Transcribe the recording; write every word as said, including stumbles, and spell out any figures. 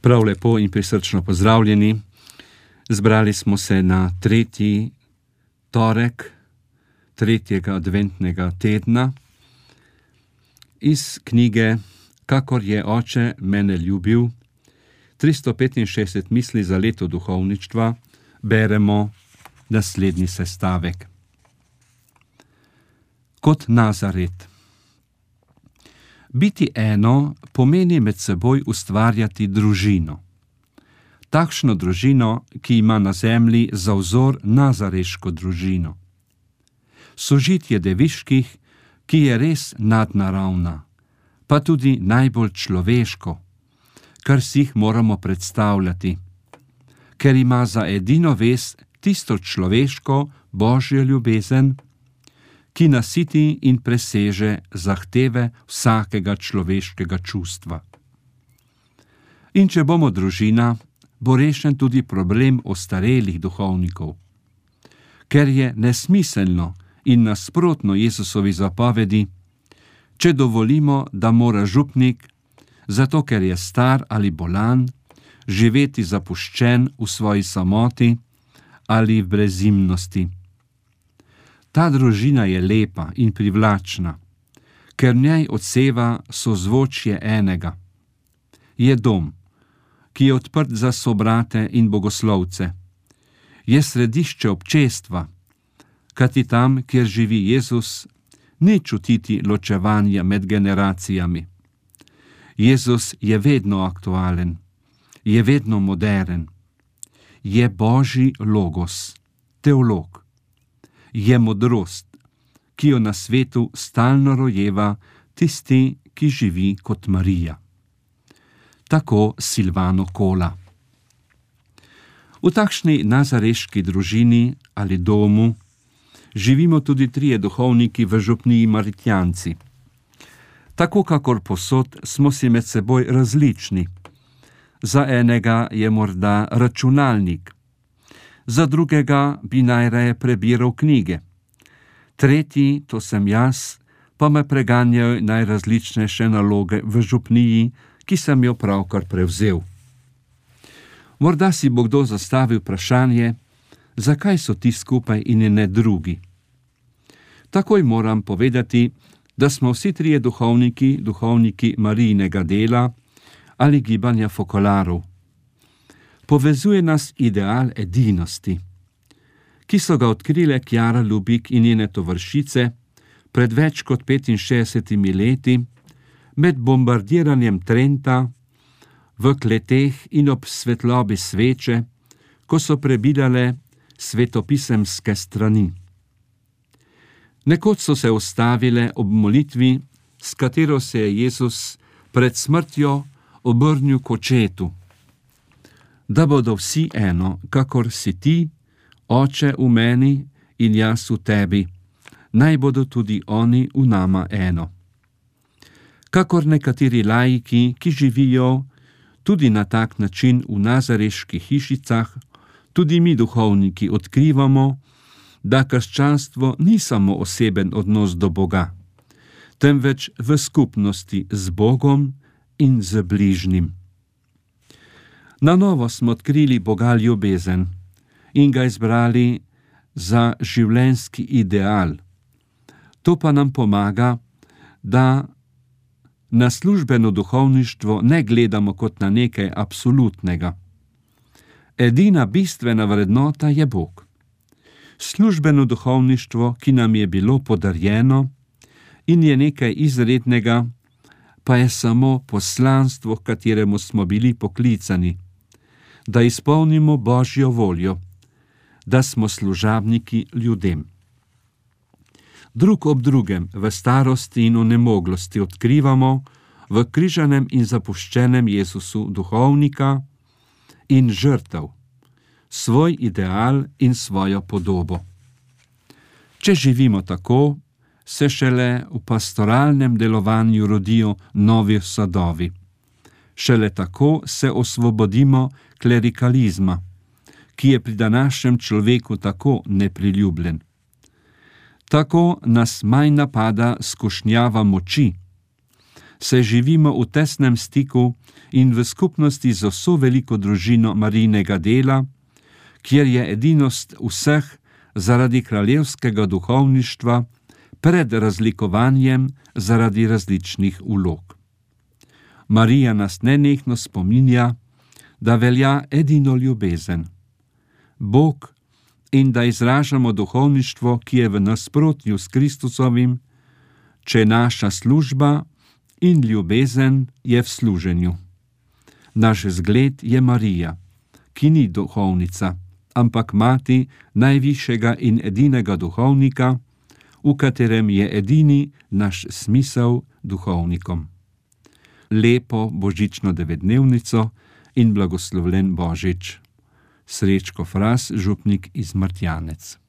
Prav lepo in prisrčno pozdravljeni. Zbrali smo se na tretji torek tretjega adventnega tedna iz knjige Kakor je oče mene ljubil, tristo petinšestdeset misli za leto duhovništva, beremo naslednji sestavek. Kot Nazaret. Biti eno pomeni med seboj ustvarjati družino. Takšno družino, ki ima na zemlji za vzor nazareško družino. Sožitje deviških, ki je res nadnaravna, pa tudi najbolj človeško, kar si jih moramo predstavljati, ker ima za edino vez tisto človeško, božjo ljubezen, ki nasiti in preseže zahteve vsakega človeškega čustva. In če bomo družina, bo rešen tudi problem ostarelih duhovnikov, ker je nesmiselno in nasprotno Jezusovi zapovedi, če dovolimo, da mora župnik, zato ker je star ali bolan, živeti zapuščen v svoji samoti ali v brezimnosti. Ta družina je lepa in privlačna, ker v njej odseva sozvočje enega. Je dom, ki je odprt za sobrate in bogoslovce. Je središče občestva, kajti tam, kjer živi Jezus, ni čutiti ločevanja med generacijami. Jezus je vedno aktualen, je vedno moderen. Je Božji logos, teolog. Je modrost, ki jo na svetu stalno rojeva tisti, ki živi kot Marija. Tako Silvano Kola. V takšni nazareški družini ali domu živimo tudi trije duhovniki v župniji Maritjanci. Tako kakor posod smo si med seboj različni. Za enega je morda računalnik, za drugega bi najraje prebiral knjige. Tretji, to sem jaz, pa me preganjajo najrazličnejše naloge v župniji, ki sem jo pravkar prevzel. Morda si bo kdo zastavil vprašanje, zakaj so ti skupaj in ne drugi. Takoj moram povedati, da smo vsi trije duhovniki, duhovniki Marijinega dela ali gibanja fokolarov. Povezuje nas ideal edinosti, ki so ga odkrile Kjara Lubik in njene tovarišice pred več kot petinšestdesetimi leti med bombardiranjem Trenta v kleteh in ob svetlobi sveče, ko so prebirale svetopisemske strani. Nekoč so se ustavile ob molitvi, s katero se je Jezus pred smrtjo obrnil k očetu, da bodo vsi eno, kakor si ti, Oče v meni in jaz v tebi, naj bodo tudi oni v nama eno. Kakor nekateri laiki, ki živijo tudi na tak način v nazareških hišicah, tudi mi duhovniki odkrivamo, da krščanstvo ni samo oseben odnos do Boga, temveč v skupnosti z Bogom in z bližnjim. Na novo smo odkrili Boga ljubezen in ga izbrali za življenjski ideal. To pa nam pomaga, da na službeno duhovništvo ne gledamo kot na nekaj absolutnega. Edina bistvena vrednota je Bog. Službeno duhovništvo, ki nam je bilo podarjeno in je nekaj izrednega, pa je samo poslanstvo, k kateremu smo bili poklicani, da izpolnimo Božjo voljo, da smo služabniki ljudem. Drug ob drugem v starosti in onemoglosti odkrivamo v križanem in zapuščenem Jezusu duhovnika in žrtev, svoj ideal in svojo podobo. Če živimo tako, se šele v pastoralnem delovanju rodijo novi sadovi. Šele tako se osvobodimo klerikalizma, ki je pri današnjem človeku tako nepriljubljen. Tako nas manj napada skušnjava moči, saj živimo v tesnem stiku in v skupnosti z vso veliko družino Marijinega dela, kjer je edinost vseh zaradi kraljevskega duhovništva pred razlikovanjem zaradi različnih vlog. Marija nas nenehno spominja, da velja edino ljubezen, Bog, in da izražamo duhovništvo, ki je v nasprotju s Kristusovim, če naša služba in ljubezen je v služenju. Naš zgled je Marija, ki ni duhovnica, ampak mati najvišjega in edinega duhovnika, v katerem je edini naš smisel duhovnikom. Lepo božično devetdnevnico in blagoslovljen Božič. Srečko Fras, župnik iz Martjanec.